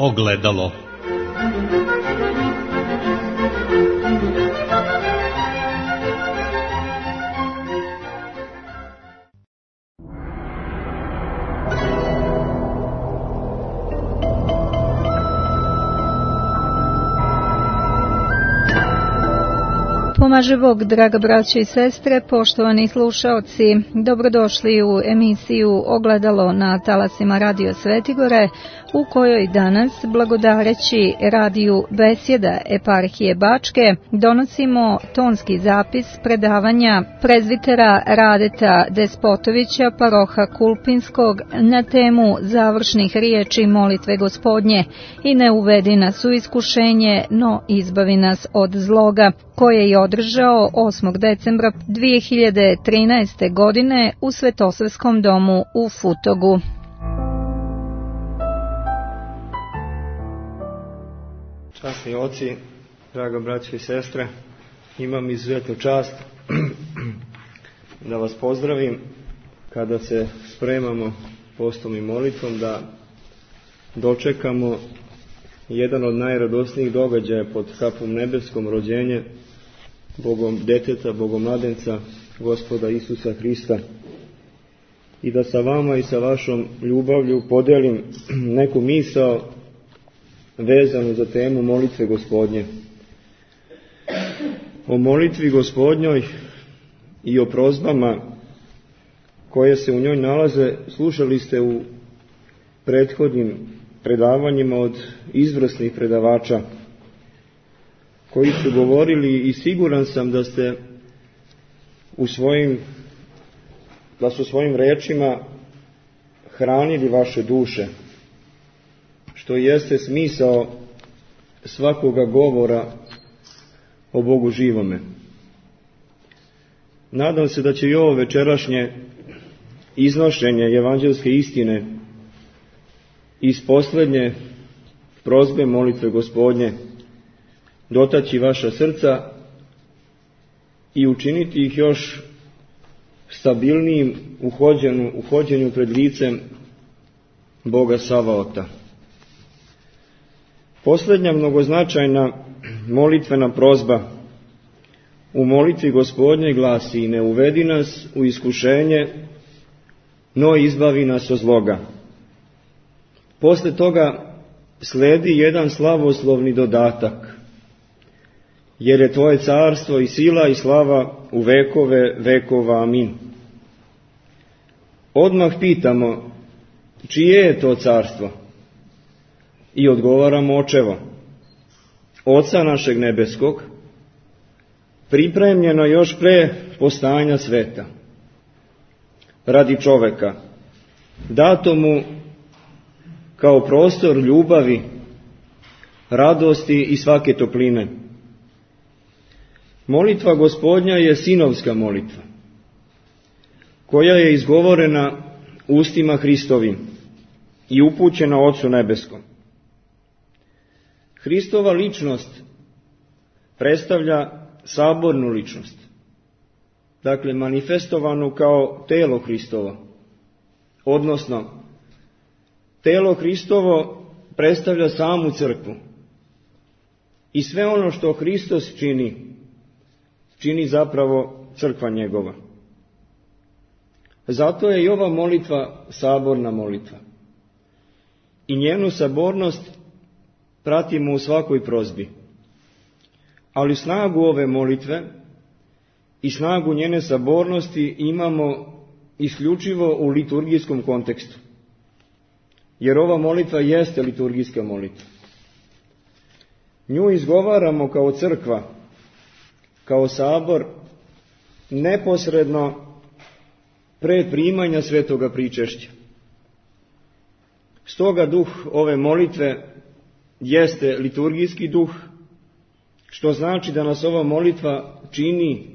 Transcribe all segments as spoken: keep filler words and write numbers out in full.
Ogledalo. Pomaže Bog, draga braćo i sestre, poštovani slušaoci, dobrodošli u emisiju Ogledalo na talasima Radio Svetigore, u kojoj danas, blagodareći radiju Besjeda Eparhije Bačke, donosimo tonski zapis predavanja prezvitera Radeta Despotovića, paroha Kulpinskog, na temu završnih riječi molitve Gospodnje i ne uvedi nas u iskušenje, no izbavi nas od zloga, koje je održao osmog decembra dvije hiljade trinaeste. godine u Svetosavskom domu u Futogu. Časni oci, draga braćo i sestre, imam izuzetnu čast da vas pozdravim kada se spremamo postom i molitvom da dočekamo jedan od najradosnijih događaja pod kapom nebeskom, rođenje Bogom deteta, Bogomladenca, Gospoda Isusa Hrista, i da sa vama i sa vašom ljubavlju podelim neku misao vezanu za temu molitve Gospodnje. O molitvi Gospodnjoj i o prozbama koje se u njoj nalaze slušali ste u prethodnim predavanjima od izvrsnih predavača koji su govorili, i siguran sam da ste u svojim da su svojim rečima hranili vaše duše, što jeste smisao svakoga govora o Bogu živome. Nadam se da će i ovo večerašnje iznošenje evanđelske istine iz posljednje prozbe molitve Gospodnje dotaći vaša srca i učiniti ih još stabilnijim u hođenju, u hođenju pred licem Boga Savaota. Posljednja mnogoznačajna molitvena prozba u molitvi Gospodnje glasi: ne uvedi nas u iskušenje, no izbavi nas od zloga. Posle toga sledi jedan slavoslovni dodatak: jer je tvoje carstvo i sila i slava u vekove vekova, amin. Odmah pitamo, čije je to carstvo? I odgovaramo, očevo, Oca našeg nebeskog, pripremljeno još pre postajanja sveta, radi čoveka, dato mu kao prostor ljubavi, radosti i svake topline. Molitva Gospodnja je sinovska molitva, koja je izgovorena ustima Hristovim i upućena Ocu nebeskom. Hristova ličnost predstavlja sabornu ličnost, dakle manifestovanu kao telo Hristovo, odnosno telo Hristovo predstavlja samu crkvu i sve ono što Hristos čini, čini zapravo crkva njegova. Zato je i ova molitva saborna molitva i njenu sabornost pratimo u svakoj prozbi. Ali snagu ove molitve i snagu njene sabornosti imamo isključivo u liturgijskom kontekstu, jer ova molitva jeste liturgijska molitva. Nju izgovaramo kao crkva, kao sabor, neposredno pre primanja svetoga pričešća. Stoga duh ove molitve jeste liturgijski duh, što znači da nas ova molitva čini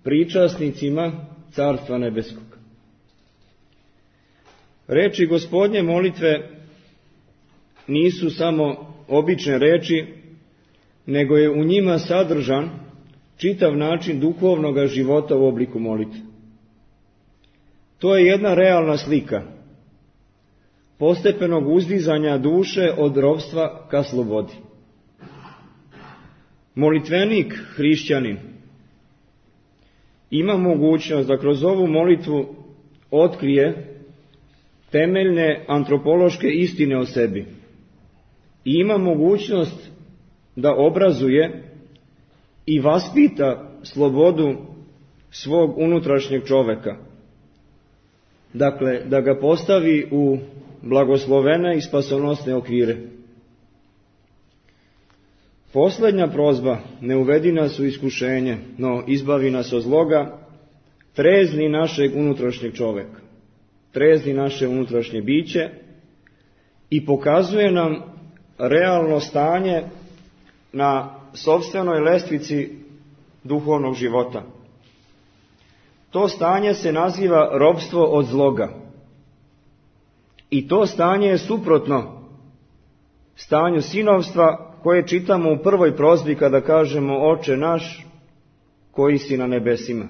pričasnicima Carstva nebeskog. Reči Gospodnje molitve nisu samo obične reči, nego je u njima sadržan čitav način duhovnog života u obliku molitve. To je jedna realna slika postepenog uzdizanja duše od ropstva ka slobodi. Molitvenik, hrišćanin, ima mogućnost da kroz ovu molitvu otkrije temeljne antropološke istine o sebi i ima mogućnost da obrazuje i vaspita slobodu svog unutrašnjeg čoveka. Dakle, da ga postavi u blagoslovene i spasonosne okvire. Posljednja prozba, ne uvedi nas u iskušenje, no izbavi nas od zloga, trezni našeg unutrašnjeg čoveka, trezni naše unutrašnje biće i pokazuje nam realno stanje na sopstvenoj lestvici duhovnog života. To stanje se naziva ropstvo od zloga. I to stanje je suprotno stanju sinovstva koje čitamo u prvoj prozbi kada kažemo Oče naš koji si na nebesima.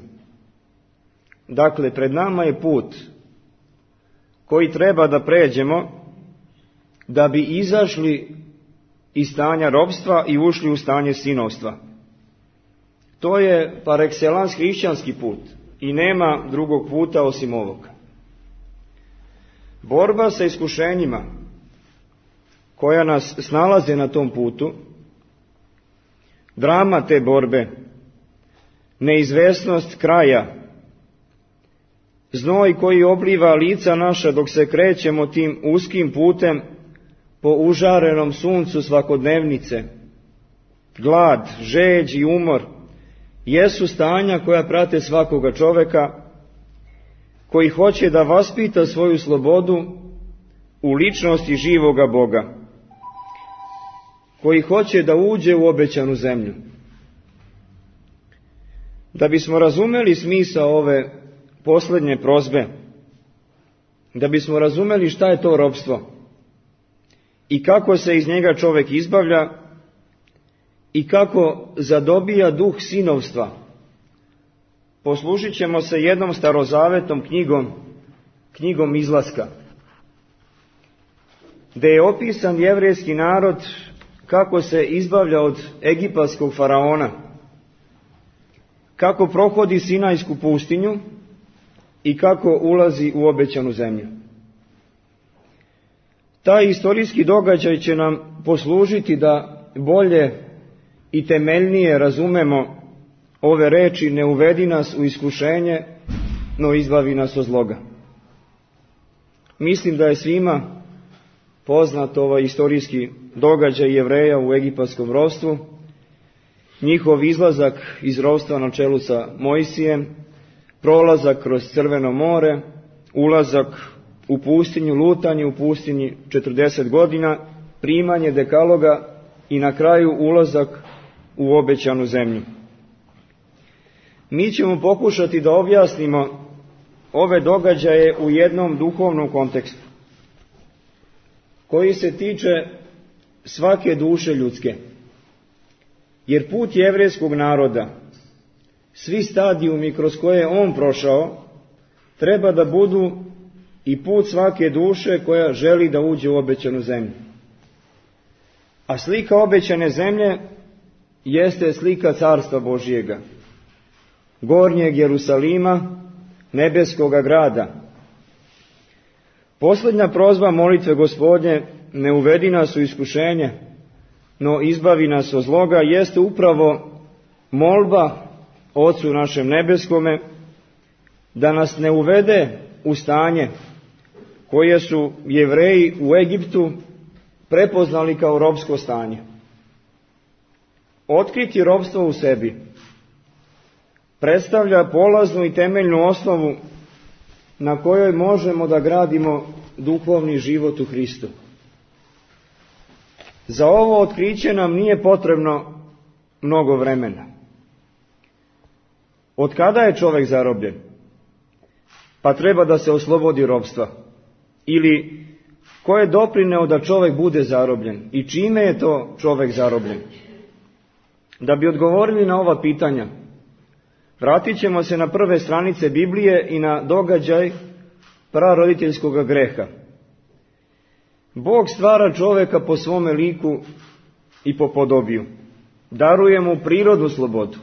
Dakle, pred nama je put koji treba da pređemo da bi izašli iz stanja ropstva i ušli u stanje sinovstva. To je par excellence hrišćanski put i nema drugog puta osim ovoga. Borba sa iskušenjima koja nas snalaze na tom putu, drama te borbe, neizvesnost kraja, znoj koji obliva lica naša dok se krećemo tim uskim putem po užarenom suncu svakodnevnice, glad, žeđ i umor, jesu stanja koja prate svakoga čoveka koji hoće da vaspita svoju slobodu u ličnosti živoga Boga, koji hoće da uđe u obećanu zemlju. Da bismo razumeli smisao ove posljednje prozbe, da bismo razumeli šta je to ropstvo i kako se iz njega čovjek izbavlja i kako zadobija duh sinovstva, poslužit ćemo se jednom starozavetnom knjigom, knjigom Izlaska, gdje je opisan jevrejski narod kako se izbavlja od egipatskog faraona, kako prohodi Sinajsku pustinju i kako ulazi u obećanu zemlju. Taj istorijski događaj će nam poslužiti da bolje i temeljnije razumemo ove reči ne uvedi nas u iskušenje, no izbavi nas od zloga. Mislim da je svima poznat ovaj istorijski događaj Jevreja u egipatskom ropstvu, njihov izlazak iz ropstva na čelu sa Mojsijem, prolazak kroz Crveno more, ulazak u pustinju, lutanje u pustinji četrdeset godina, primanje dekaloga i na kraju ulazak u obećanu zemlju. Mi ćemo pokušati da objasnimo ove događaje u jednom duhovnom kontekstu, koji se tiče svake duše ljudske. Jer put jevrejskog naroda, svi stadijumi kroz koje je on prošao, treba da budu i put svake duše koja želi da uđe u obećanu zemlju. A slika obećane zemlje jeste slika Carstva Božijega, gornjeg Jerusalima, nebeskoga grada. Posljednja prozba molitve Gospodnje, ne uvedi nas u iskušenje, no izbavi nas od zloga, jeste upravo molba Ocu našem nebeskome da nas ne uvede u stanje koje su Jevreji u Egiptu prepoznali kao ropsko stanje. Otkriti ropstvo u sebi predstavlja polaznu i temeljnu osnovu na kojoj možemo da gradimo duhovni život u Hristu. Za ovo otkriće nam nije potrebno mnogo vremena. Od kada je čovjek zarobljen? Pa treba da se oslobodi ropstva. Ili ko je doprineo da čovjek bude zarobljen i čime je to čovjek zarobljen? Da bi odgovorili na ova pitanja, vratit ćemo se na prve stranice Biblije i na događaj praroditeljskog greha. Bog stvara čoveka po svome liku i po podobiju. Daruje mu prirodnu slobodu,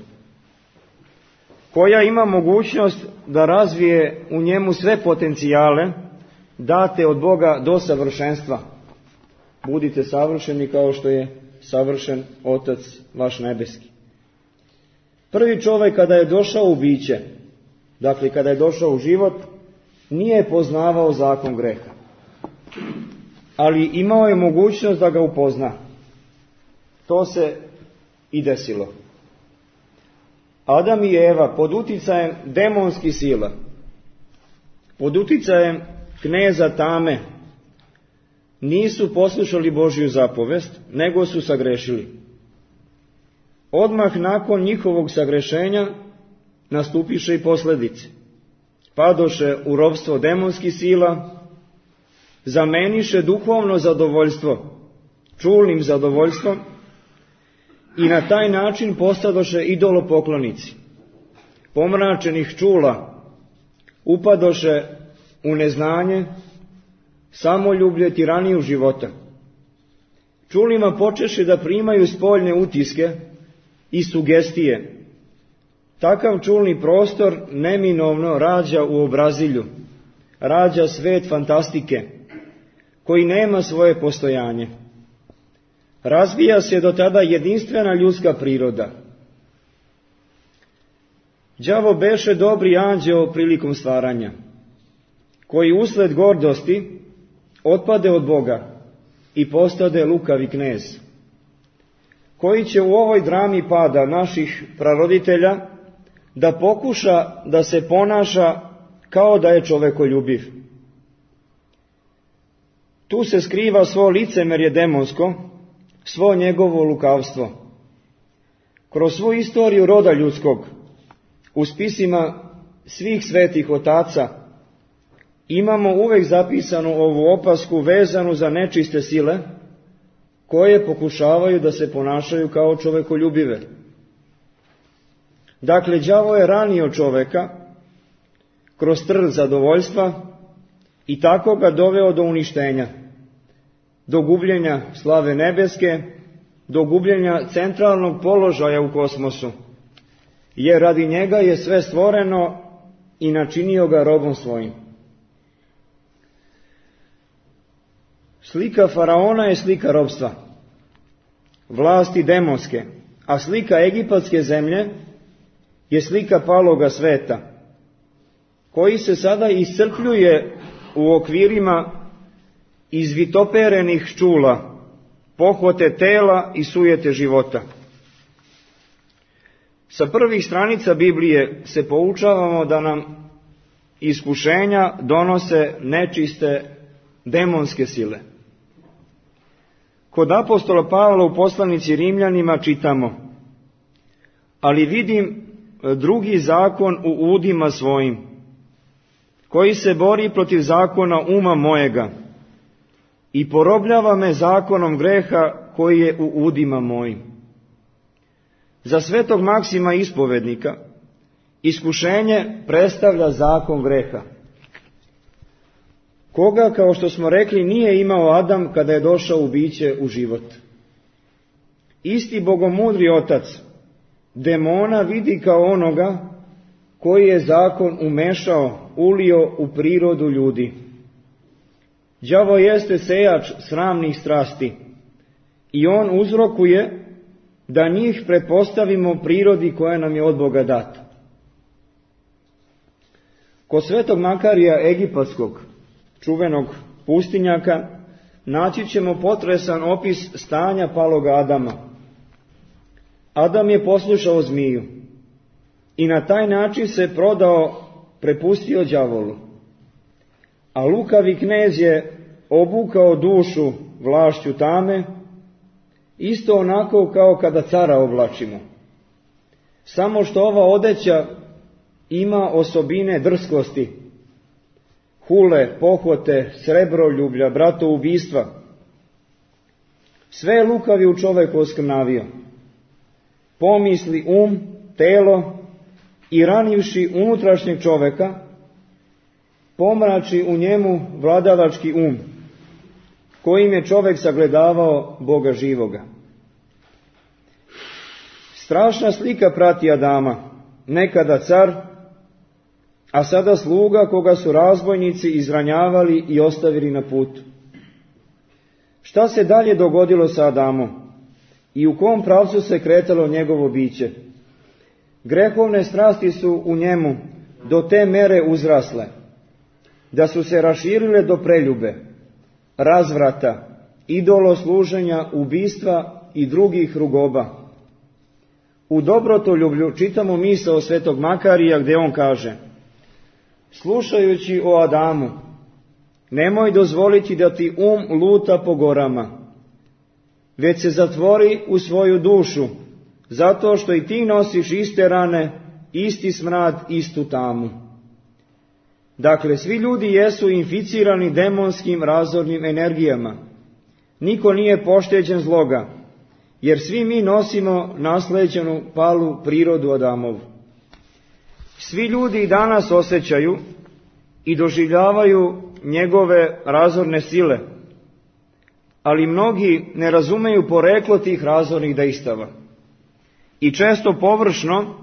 koja ima mogućnost da razvije u njemu sve potencijale date od Boga do savršenstva. Budite savršeni kao što je savršen Otac vaš nebeski. Prvi čovjek kada je došao u biće, dakle kada je došao u život, nije poznavao zakon greha, ali imao je mogućnost da ga upozna. To se i desilo. Adam i Eva pod uticajem demonskih sila, pod uticajem kneza tame, nisu poslušali Božju zapovest, nego su sagrešili. Odmah nakon njihovog sagrešenja nastupiše i posljedice. Padoše u ropstvo demonskih sila, zameniše duhovno zadovoljstvo čulnim zadovoljstvom i na taj način postadoše idolopoklonici. Pomračenih čula upadoše u neznanje, samoljublje, tiraniju života. Čulima počeše da primaju spoljne utiske i sugestije. Takav čulni prostor neminovno rađa u obrazilju, rađa svet fantastike, koji nema svoje postojanje. Razvija se do tada jedinstvena ljudska priroda. Đavo beše dobri anđeo prilikom stvaranja, koji usled gordosti otpade od Boga i postade lukavi knez, koji će u ovoj drami pada naših praroditelja da pokuša da se ponaša kao da je čovekoljubiv. Tu se skriva svo licemerje demonsko, svo njegovo lukavstvo. Kroz svu istoriju roda ljudskog, u spisima svih svetih otaca, imamo uvek zapisanu ovu opasku vezanu za nečiste sile, koje pokušavaju da se ponašaju kao čovekoljubive. Dakle, đavo je ranio čoveka kroz trn zadovoljstva i tako ga doveo do uništenja, do gubljenja slave nebeske, do gubljenja centralnog položaja u kosmosu, jer radi njega je sve stvoreno i načinio ga robom svojim. Slika faraona je slika robstva, vlasti demonske, a slika egipatske zemlje je slika paloga sveta, koji se sada iscrpljuje u okvirima izvitoperenih čula, pohvate tela i sujete života. Sa prvih stranica Biblije se poučavamo da nam iskušenja donose nečiste demonske sile. Kod apostola Pavla u poslanici Rimljanima čitamo: ali vidim drugi zakon u udima svojim, koji se bori protiv zakona uma mojega i porobljava me zakonom greha koji je u udima mojim. Za svetog Maksima ispovednika iskušenje predstavlja zakon greha, koga, kao što smo rekli, nije imao Adam kada je došao u biće u život. Isti bogomudri otac demona vidi kao onoga koji je zakon umešao, ulio u prirodu ljudi. Đavo jeste sejač sramnih strasti i on uzrokuje da njih pretpostavimo prirodi koja nam je od Boga data. Kod svetog Makarija Egipatskog, čuvenog pustinjaka, naći ćemo potresan opis stanja paloga Adama. Adam je poslušao zmiju i na taj način se prodao, prepustio đavolu. A lukavi knez je obukao dušu vlašću tame, isto onako kao kada cara oblačimo. Samo što ova odeća ima osobine drskosti, hule, pohvote, srebroljublja, bratoubistva. Sve je lukavi u čoveku oskrnavio. Pomisli um, telo i ranivši unutrašnjeg čoveka, pomrači u njemu vladavački um, kojim je čovjek sagledavao Boga živoga. Strašna slika prati Adama, nekada car, a sada sluga koga su razbojnici izranjavali i ostavili na putu. Šta se dalje dogodilo sa Adamom i u kom pravcu se kretalo njegovo biće? Grehovne strasti su u njemu do te mere uzrasle, da su se raširile do preljube, razvrata, idolosluženja, ubistva i drugih rugoba. U Dobrotoljublju čitamo misao svetog Makarija gdje on kaže: slušajući o Adamu, nemoj dozvoliti da ti um luta po gorama, već se zatvori u svoju dušu, zato što i ti nosiš iste rane, isti smrad, istu tamu. Dakle, svi ljudi jesu inficirani demonskim razornim energijama. Niko nije pošteđen zloga, jer svi mi nosimo nasleđenu palu prirodu Adamovu. Svi ljudi i danas osjećaju i doživljavaju njegove razorne sile, ali mnogi ne razumeju poreklo tih razornih dejstava i često površno,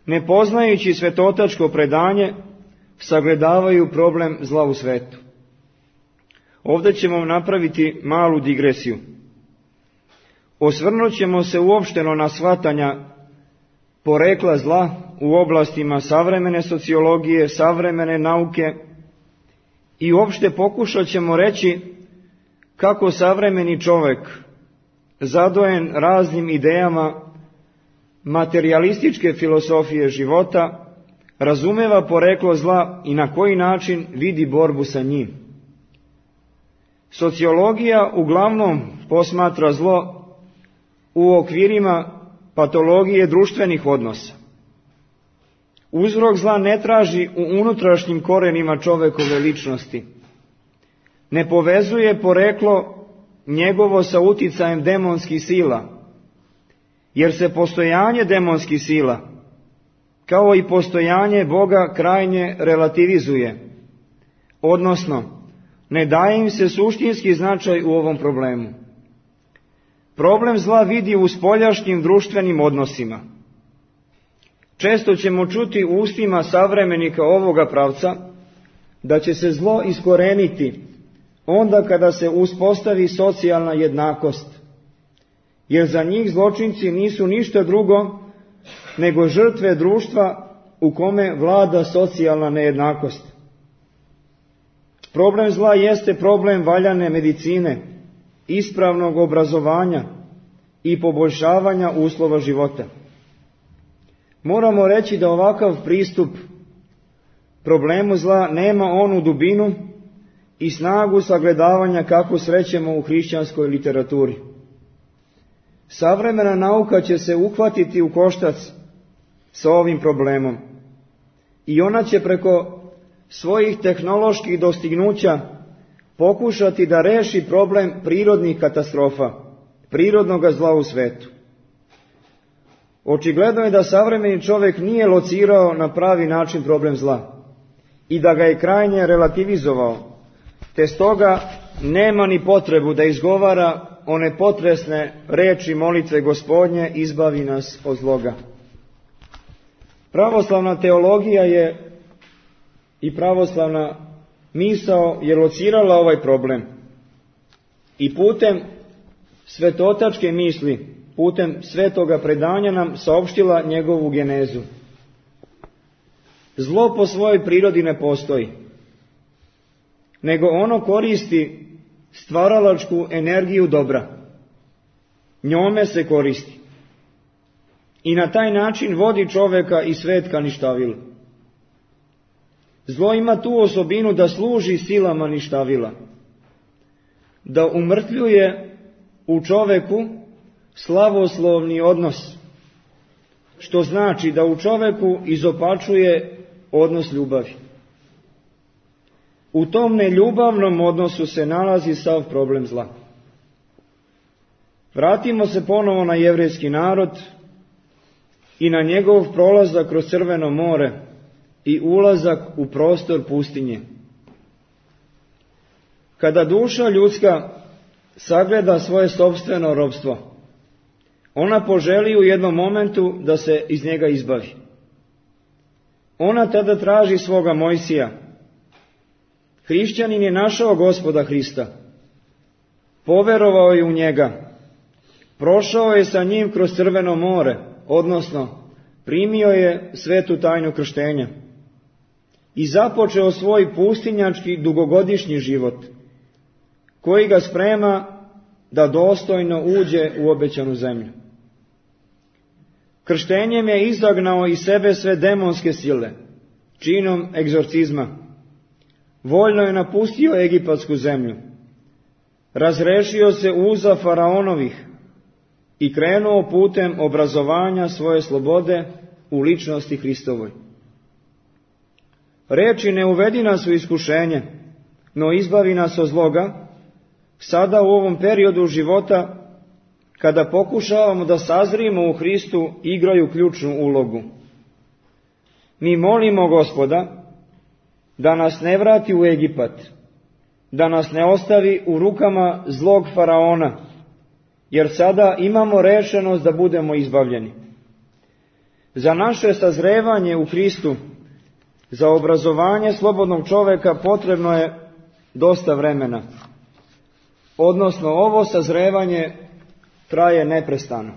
ne poznajući svetotačko predanje, sagledavaju problem zla u svetu. Ovdje ćemo napraviti malu digresiju. Osvrnut ćemo se uopšteno na shvatanja porekla zla u oblastima savremene sociologije, savremene nauke i uopšte pokušat ćemo reći kako savremeni čovjek, zadojen raznim idejama materijalističke filosofije života, razumeva poreklo zla i na koji način vidi borbu sa njim. Sociologija uglavnom posmatra zlo u okvirima patologije društvenih odnosa. Uzrok zla ne traži u unutrašnjim korenima čovekove ličnosti. Ne povezuje poreklo njegovo sa uticajem demonskih sila, jer se postojanje demonskih sila, kao i postojanje Boga, krajnje relativizuje, odnosno ne daje im se suštinski značaj u ovom problemu. Problem zla vidi u spoljašnjim društvenim odnosima. Često ćemo čuti u ustima savremenika ovoga pravca da će se zlo iskoreniti onda kada se uspostavi socijalna jednakost, jer za njih zločinci nisu ništa drugo nego žrtve društva u kome vlada socijalna nejednakost. Problem zla jeste problem valjane medicine, ispravnog obrazovanja i poboljšavanja uslova života. Moramo reći da ovakav pristup problemu zla nema onu dubinu i snagu sagledavanja kako srećemo u hrišćanskoj literaturi. Savremena nauka će se uhvatiti u koštac sa ovim problemom i ona će preko svojih tehnoloških dostignuća pokušati da reši problem prirodnih katastrofa, prirodnog zla u svetu. Očigledno je da savremeni čovjek nije locirao na pravi način problem zla i da ga je krajnje relativizovao, te stoga nema ni potrebu da izgovara one potresne reči molitve Gospodnje, izbavi nas od zloga. Pravoslavna teologija je i pravoslavna misao je locirala ovaj problem i putem svetotačke misli, putem svetoga predanja nam saopštila njegovu genezu. Zlo po svojoj prirodi ne postoji, nego ono koristi stvaralačku energiju dobra. Njome se koristi i na taj način vodi čovjeka i svet ka ništavilu. Zlo ima tu osobinu da služi silama ništavila, da umrtvljuje u čovjeku slavoslovni odnos, što znači da u čovjeku izopačuje odnos ljubavi. U tom neljubavnom odnosu se nalazi sav problem zla. Vratimo se ponovo na jevrejski narod i na njegov prolazak kroz Crveno more i ulazak u prostor pustinje. kada duša ljudska sagleda svoje sopstveno robstvo, ona poželi u jednom momentu da se iz njega izbavi. Ona tada traži svoga Mojsija. Hrišćanin je našao Gospoda Hrista, poverovao je u njega, prošao je sa njim kroz Crveno more, odnosno primio je svetu tajnu krštenja i započeo svoj pustinjački dugogodišnji život, koji ga sprema da dostojno uđe u obećanu zemlju. Krštenjem je izagnao iz sebe sve demonske sile, činom egzorcizma. Voljno je napustio egipatsku zemlju, razrešio se uza faraonovih i krenuo putem obrazovanja svoje slobode u ličnosti Hristovoj. Reči ne uvedi nas u iskušenje, no izbavi nas od zloga, sada u ovom periodu života, kada pokušavamo da sazrijemo u Hristu, igraju ključnu ulogu. Mi molimo Gospoda da nas ne vrati u Egipat, da nas ne ostavi u rukama zlog faraona, jer sada imamo rešenost da budemo izbavljeni. Za naše sazrevanje u Hristu, za obrazovanje slobodnog čoveka potrebno je dosta vremena. Odnosno, ovo sazrevanje traje neprestano.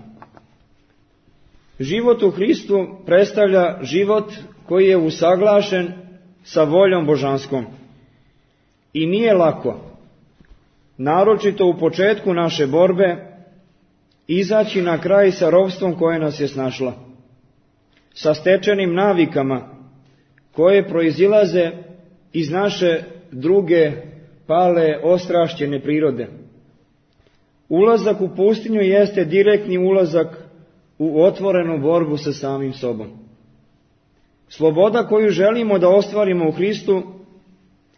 Život u Hristu predstavlja život koji je usaglašen sa voljom božanskom. I nije lako, naročito u početku naše borbe, izaći na kraj sa ropstvom koje nas je snašla, sa stečenim navikama koje proizilaze iz naše druge pale, ostrašćene prirode. Ulazak u pustinju jeste direktni ulazak u otvorenu borbu sa samim sobom. Sloboda koju želimo da ostvarimo u Hristu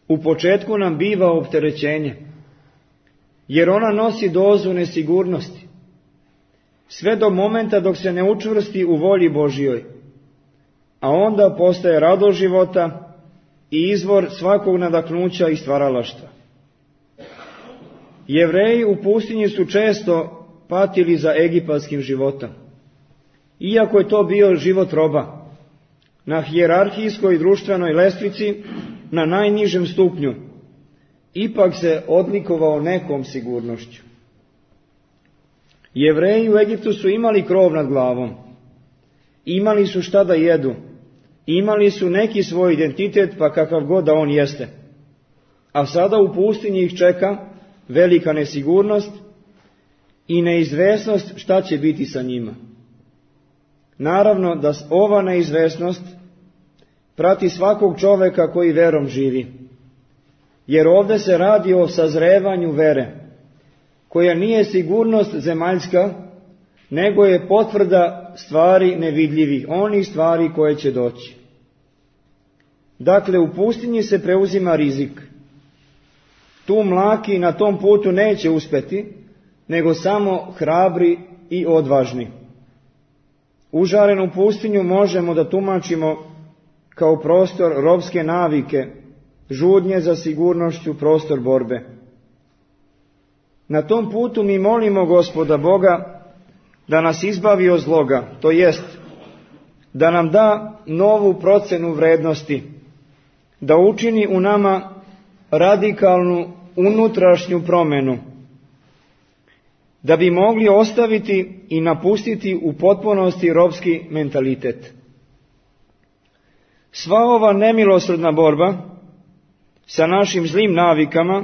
u početku nam biva opterećenje, jer ona nosi dozu nesigurnosti, sve do momenta dok se ne učvrsti u volji Božjoj, a onda postaje radost života i izvor svakog nadahnuća i stvaralaštva. Jevreji u pustinji su često patili za egipatskim životom, iako je to bio život roba, na hijerarhijskoj društvenoj lestvici, na najnižem stupnju, ipak se odlikovao nekom sigurnošću. Jevreji u Egiptu su imali krov nad glavom, imali su šta da jedu, imali su neki svoj identitet, pa kakav god da on jeste. A sada u pustinji ih čeka velika nesigurnost i neizvesnost šta će biti sa njima. Naravno da ova neizvesnost prati svakog čoveka koji verom živi, jer ovdje se radi o sazrevanju vere, koja nije sigurnost zemaljska, nego je potvrda stvari nevidljivih, onih stvari koje će doći. Dakle, u pustinji se preuzima rizik. Tu mlaki na tom putu neće uspeti, nego samo hrabri i odvažni. Užarenu pustinju možemo da tumačimo kao prostor robske navike, žudnje za sigurnošću, prostor borbe. Na tom putu mi molimo Gospoda Boga da nas izbavi od zloga, to jest da nam da novu procenu vrednosti, da učini u nama radikalnu unutrašnju promenu, da bi mogli ostaviti i napustiti u potpunosti robski mentalitet. Sva ova nemilosrdna borba sa našim zlim navikama,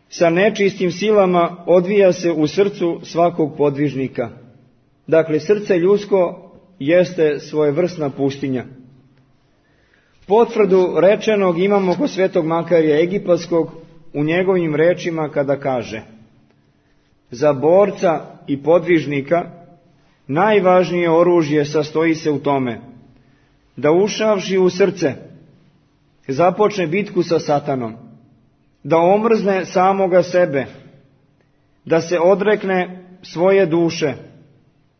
sa nečistim silama odvija se u srcu svakog podvižnika. Dakle, srce ljudsko jeste svojevrsna pustinja. Potvrdu rečenog imamo kod svetog Makarija Egipatskog u njegovim rečima kada kaže: za borca i podvižnika najvažnije oružje sastoji se u tome da ušavši u srce započne bitku sa Satanom, da omrzne samoga sebe, da se odrekne svoje duše,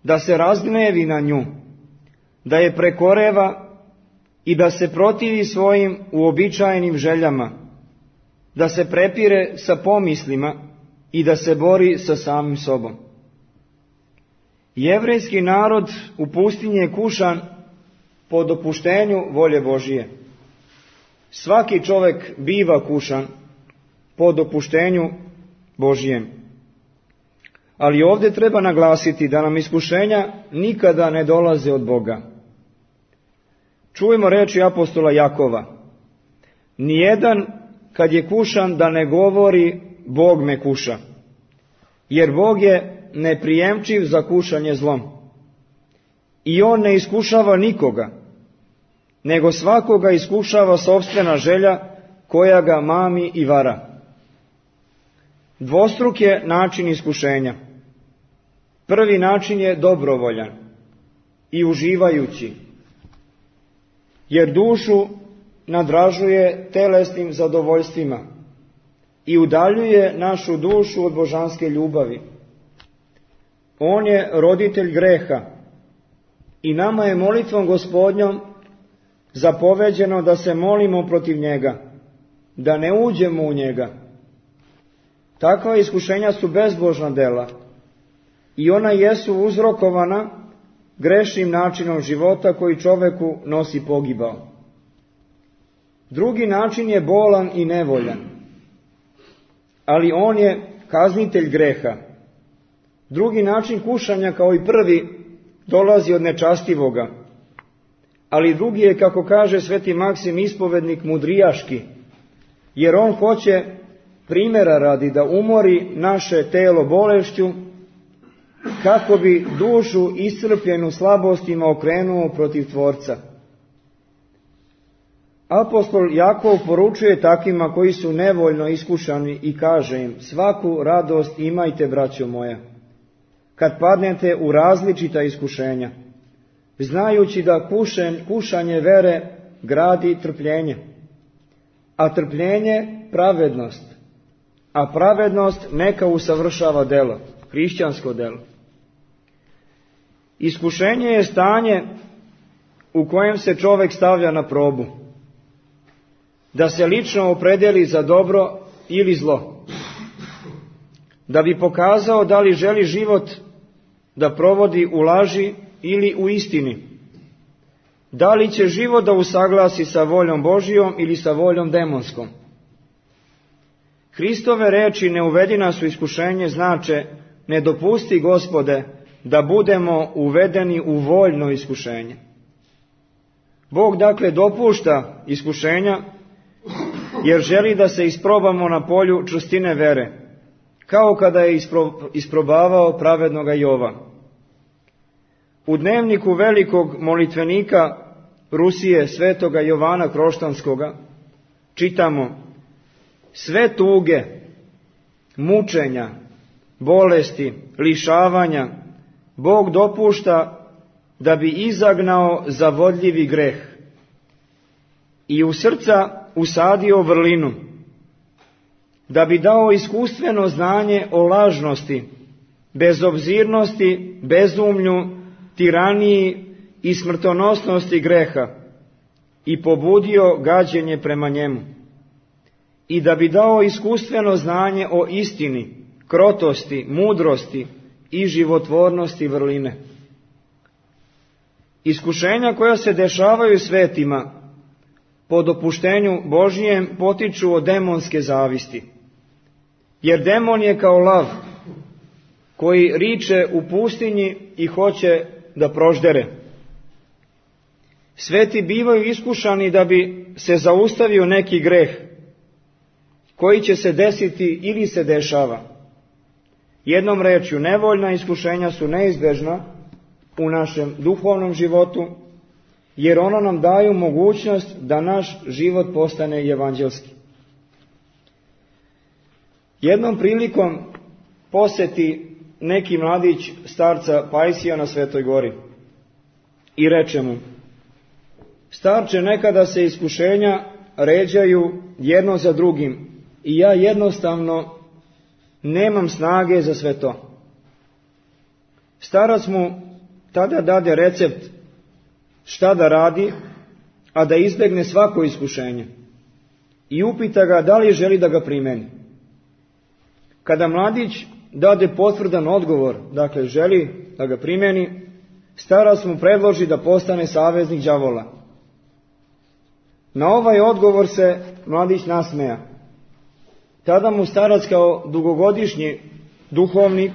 da se razgnevi na nju, da je prekoreva i da se protivi svojim uobičajenim željama, da se prepire sa pomislima i da se bori sa samim sobom. Jevrejski narod u pustinji je kušan po dopuštenju volje Božije. Svaki čovjek biva kušan po dopuštenju Božijem. Ali ovdje treba naglasiti da nam iskušenja nikada ne dolaze od Boga. Čujemo riječi apostola Jakova. Nijedan kad je kušan da ne govori Bog me kuša, jer Bog je neprijemčiv za kušanje zlom. I on ne iskušava nikoga, nego svakoga iskušava sopstvena želja koja ga mami i vara. Dvostruk je način iskušenja. Prvi način je dobrovoljan i uživajući, jer dušu nadražuje telesnim zadovoljstvima i udaljuje našu dušu od božanske ljubavi. On je roditelj greha i nama je molitvom Gospodnjom zapoveđeno da se molimo protiv njega, da ne uđemo u njega. Takva iskušenja su bezbožna dela i ona jesu uzrokovana grešnim načinom života koji čoveku nosi pogibao. Drugi način je bolan i nevoljan, ali on je kaznitelj greha. Drugi način kušanja, kao i prvi, dolazi od nečastivoga, ali drugi je, kako kaže sveti Maksim ispovednik, mudrijaški, jer on hoće primjera radi da umori naše telo bolešću, kako bi dušu iscrpljenu slabostima okrenuo protiv Tvorca. Apostol Jakov poručuje takvima koji su nevoljno iskušani i kaže im: svaku radost imajte, braćo moja, kad padnete u različita iskušenja, znajući da kušen, kušanje vere gradi trpljenje, a trpljenje pravednost, a pravednost neka usavršava delo, hrišćansko delo. Iskušenje je stanje u kojem se čovjek stavlja na probu, da se lično opredeli za dobro ili zlo, da bi pokazao da li želi život da provodi u laži ili u istini, da li će život da usaglasi sa voljom Božijom ili sa voljom demonskom. Hristove reči ne uvedi nas u iskušenje znače: ne dopusti, Gospode, da budemo uvedeni u voljno iskušenje. Bog dakle dopušta iskušenja jer želi da se isprobamo na polju čvrstine vere, kao kada je isprobavao pravednoga Jova. U dnevniku velikog molitvenika Rusije, svetoga Jovana Kroštanskoga, čitamo: sve tuge, mučenja, bolesti, lišavanja Bog dopušta da bi izagnao zavodljivi greh i u srca usadio vrlinu, da bi dao iskustveno znanje o lažnosti, bezobzirnosti, bezumlju, tiraniji i smrtonosnosti greha i pobudio gađenje prema njemu, i da bi dao iskustveno znanje o istini, krotosti, mudrosti i životvornosti vrline. Iskušenja koja se dešavaju svetima po dopuštenju Božijem potiču od demonske zavisti, jer demon je kao lav koji riče u pustinji i hoće da proždere. Sveti bivaju iskušani da bi se zaustavio neki greh koji će se desiti ili se dešava. Jednom rečju, nevoljna iskušenja su neizbežna u našem duhovnom životu, jer ona nam daju mogućnost da naš život postane evanđelski. Jednom prilikom poseti neki mladić starca Pajsija na Svetoj gori i reče mu: starče, nekada se iskušenja ređaju jedno za drugim i ja jednostavno nemam snage za sve to. Starac mu tada dade recept šta da radi, a da izbegne svako iskušenje. i upita ga da li želi da ga primeni. Kada mladić dade potvrdan odgovor, dakle želi da ga primeni, starac mu predloži da postane saveznik đavola. Na ovaj odgovor se mladić nasmeja. Tada mu starac kao dugogodišnji duhovnik,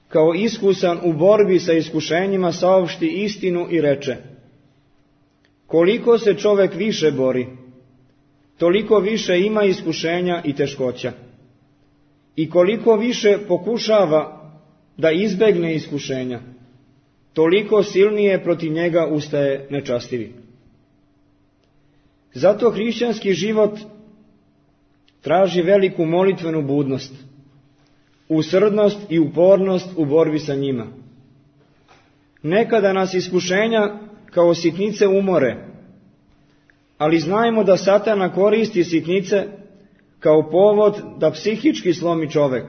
kao iskusan u borbi sa iskušenjima, saopšti istinu i reče: koliko se čovek više bori, toliko više ima iskušenja i teškoća. I koliko više pokušava da izbegne iskušenja, toliko silnije protiv njega ustaje nečastivi. Zato hrišćanski život traži veliku molitvenu budnost, usrdnost i upornost u borbi sa njima. Nekada nas iskušenja kao sitnice umore, ali znajmo da Satana koristi sitnice kao povod da psihički slomi čovek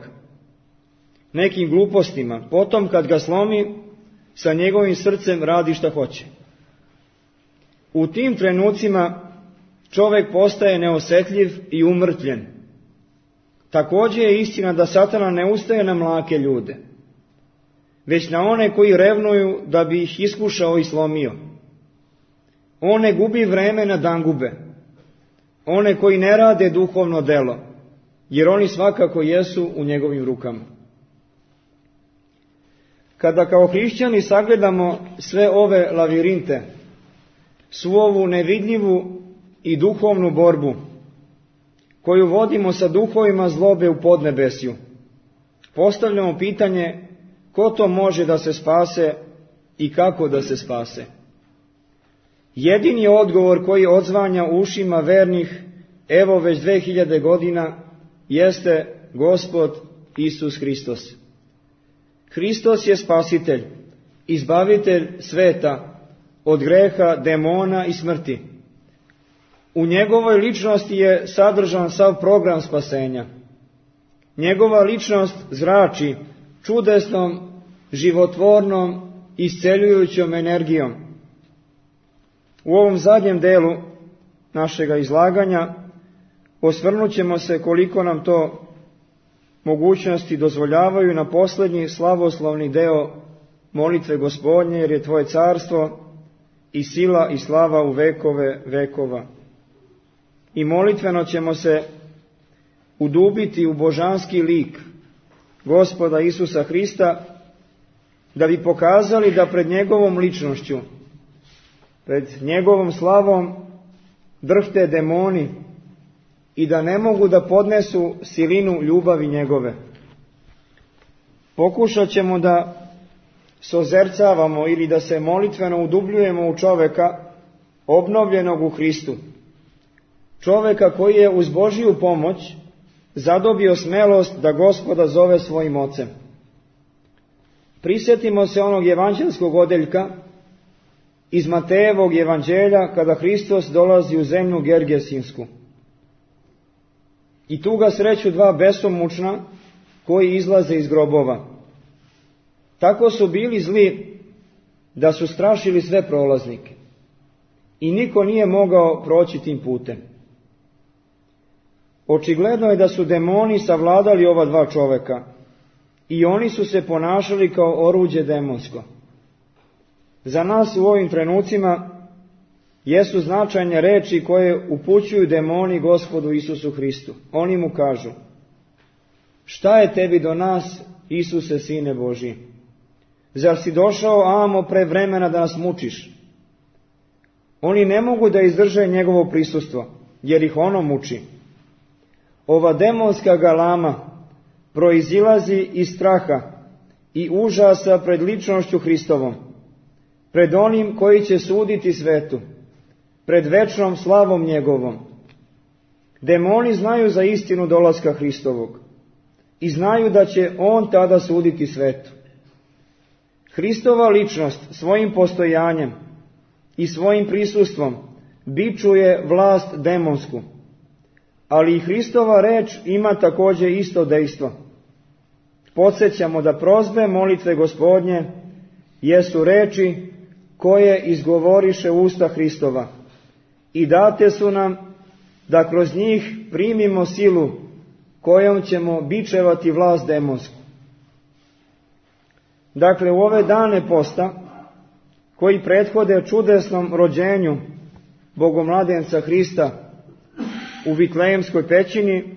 nekim glupostima, potom kad ga slomi, sa njegovim srcem radi šta hoće. U tim trenucima čovek postaje neosetljiv i umrtvljen. Također je istina da Satana ne ustaje na mlake ljude, već na one koji revnuju da bi ih iskušao i slomio. On ne gubi vreme na dangube, one koji ne rade duhovno delo, jer oni svakako jesu u njegovim rukama. Kada kao hrišćani sagledamo sve ove lavirinte, svu ovu nevidljivu i duhovnu borbu koju vodimo sa duhovima zlobe u podnebesju, postavljamo pitanje ko to može da se spase i kako da se spase. Jedini odgovor koji odzvanja u ušima vernih evo već dve hiljade godina jeste Gospod Isus Hristos. Hristos je spasitelj, izbavitelj sveta od greha, demona i smrti. U njegovoj ličnosti je sadržan sav program spasenja. Njegova ličnost zrači čudesnom, životvornom, isceljujućom energijom. U ovom zadnjem delu našega izlaganja osvrnut ćemo se, koliko nam to mogućnosti dozvoljavaju, na posljednji slavoslovni deo molitve Gospodnje, jer je Tvoje carstvo i sila i slava u vekove vekova. I molitveno ćemo se udubiti u božanski lik Gospoda Isusa Hrista, da bi pokazali da pred njegovom ličnošću, pred njegovom slavom drhte demoni i da ne mogu da podnesu silinu ljubavi njegove. Pokušat ćemo da sozercavamo ili da se molitveno udubljujemo u čoveka obnovljenog u Hristu. Čoveka koji je uz Božiju pomoć zadobio smelost da Gospoda zove svojim ocem. Prisjetimo se onog evanđelskog odeljka iz Matejevog evanđelja kada Hristos dolazi u zemlju Gergesinsku. I tu ga sreću dva besomučna koji izlaze iz grobova. Tako su bili zli da su strašili sve prolaznike i niko nije mogao proći tim putem. Očigledno je da su demoni savladali ova dva čoveka i oni su se ponašali kao oruđe demonsko. Za nas u ovim trenucima jesu značajne reči koje upućuju demoni Gospodu Isusu Hristu. Oni mu kažu: šta je tebi do nas, Isuse, Sine Božji? Zar si došao amo pre vremena da nas mučiš? Oni ne mogu da izdrže njegovo prisustvo, jer ih ono muči. Ova demonska galama proizilazi iz straha i užasa pred ličnošću Hristovom, pred onim koji će suditi svetu, pred večnom slavom njegovom. Demoni znaju za istinu dolaska Hristovog i znaju da će on tada suditi svetu. Hristova ličnost svojim postojanjem i svojim prisustvom bičuje vlast demonsku, ali i Hristova reč ima također isto dejstvo. Podsjećamo da prozbe molitve Gospodnje jesu reči koje izgovoriše usta Hristova i date su nam da kroz njih primimo silu kojom ćemo bičevati vlast demonsku. Dakle, u ove dane posta, koji prethode čudesnom rođenju Bogomladenca Hrista u Vitlejemskoj pećini,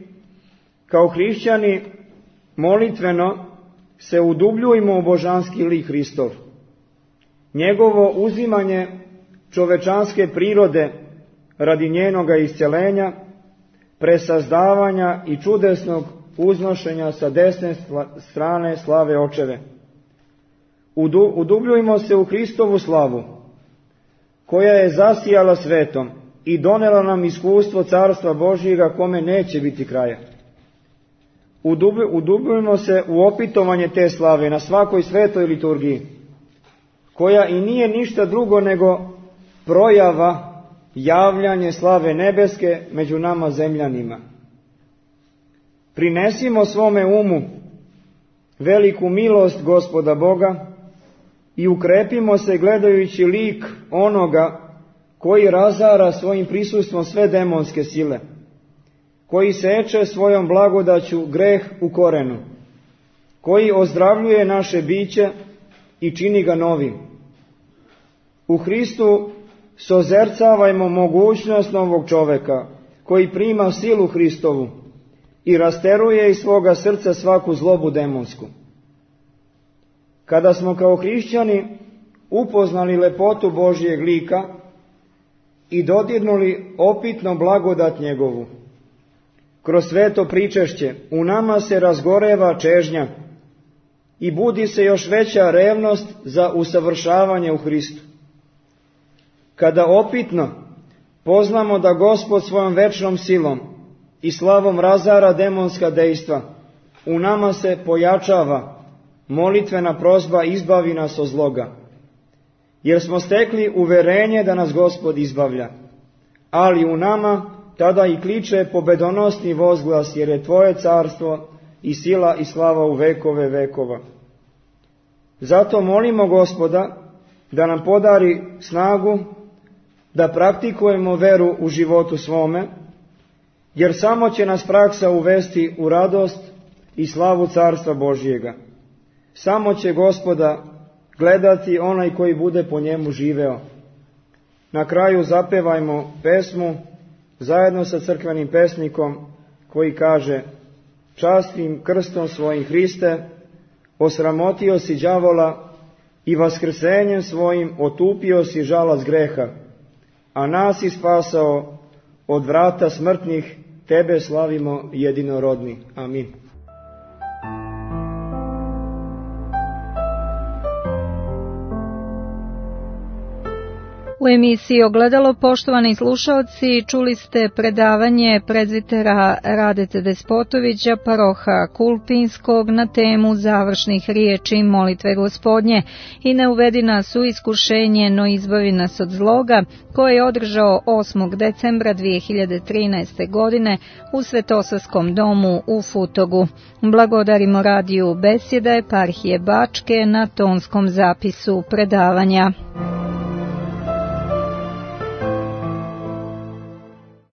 kao hrišćani molitveno se udubljujmo u božanski lik Hristov. Njegovo uzimanje čovečanske prirode radi njenoga isceljenja, presazdavanja i čudesnog uznošenja sa desne strane slave Očeve. Udubljujmo se u Hristovu slavu, koja je zasijala svetom i donela nam iskustvo Carstva Božjega kome neće biti kraja. Udubljujmo se u opitovanje te slave na svakoj svetoj liturgiji, koja i nije ništa drugo nego projava, javljanje slave nebeske među nama zemljanima. Prinesimo svome umu veliku milost Gospoda Boga i ukrepimo se gledajući lik onoga koji razara svojim prisustvom sve demonske sile, koji seče svojom blagodaću greh u korenu, koji ozdravljuje naše biće i čini ga novim. U Hristu sozercavajmo mogućnost novog čoveka, koji prima silu Hristovu i rasteruje iz svoga srca svaku zlobu demonsku. Kada smo kao hrišćani upoznali lepotu Božjeg lika i dodirnuli opitno blagodat njegovu, kroz sveto pričešće u nama se razgoreva čežnja i budi se još veća revnost za usavršavanje u Hristu. Kada opitno poznamo da Gospod svojom večnom silom i slavom razara demonska dejstva, u nama se pojačava molitvena prosba izbavi nas od zloga, jer smo stekli uverenje da nas Gospod izbavlja, ali u nama tada i kliče pobedonosni vozglas, jer je Tvoje carstvo i sila i slava u vekove vekova. Zato molimo Gospoda da nam podari snagu da praktikujemo veru u životu svome, jer samo će nas praksa uvesti u radost i slavu Carstva Božjega. Samo će Gospoda gledati onaj koji bude po njemu živeo. Na kraju zapevajmo pesmu zajedno sa crkvenim pesnikom koji kaže: častim krstom svojim Hriste, osramotio si đavola i vaskrsenjem svojim otupio si žalac greha, a nas si spasao od vrata smrtnih, tebe slavimo jedinorodni. Amin. U emisiji Ogledalo, poštovani slušaoci, čuli ste predavanje prezbitera Radete Despotovića, paroha Kulpinskog, na temu završnih riječi molitve Gospodnje i ne uvedi nas u iskušenje, no izbavi nas od zloga, koje je održao osmog decembra dvije hiljade trinaeste. godine u Svetosavskom domu u Futogu. Blagodarimo radiju Besjeda eparhije Bačke na tonskom zapisu predavanja.